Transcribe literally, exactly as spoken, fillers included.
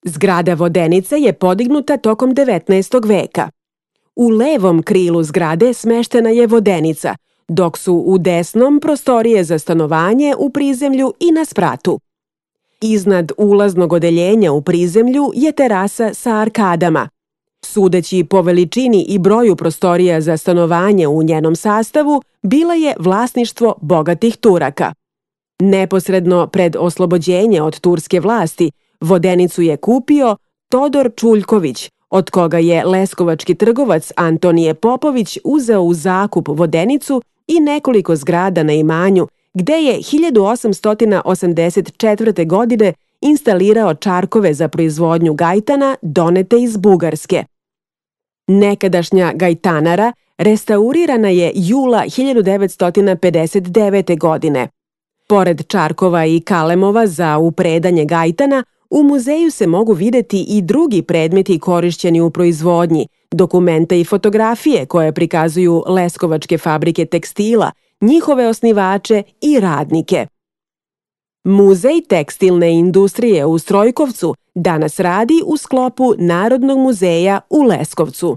Zgrada Vodenice je podignuta tokom devetnaestog veka. U levom krilu zgrade smeštena je vodenica, dok su u desnom prostorije za stanovanje u prizemlju i na spratu. Iznad ulaznog odeljenja u prizemlju je terasa sa arkadama. Sudeći po veličini i broju prostorija za stanovanje u njenom sastavu, bila je vlasništvo bogatih Turaka. Neposredno pred oslobođenje od turske vlasti, vodenicu je kupio Todor Čuljković, od koga je leskovački trgovac Antonije Popović uzeo u zakup vodenicu i nekoliko zgrada na imanju, gde je hiljadu osamsto osamdeset četvrte. godine instalirao čarkove za proizvodnju gajtana donete iz Bugarske. Nekadašnja gajtanara restaurirana je jula hiljadu devetsto pedeset devete. godine. Pored čarkova i kalemova za upredanje gajtana, u muzeju se mogu videti i drugi predmeti korišćeni u proizvodnji, dokumenta i fotografije koje prikazuju leskovačke fabrike tekstila, njihove osnivače i radnike. Muzej tekstilne industrije u Strojkovcu danas radi u sklopu Narodnog muzeja u Leskovcu.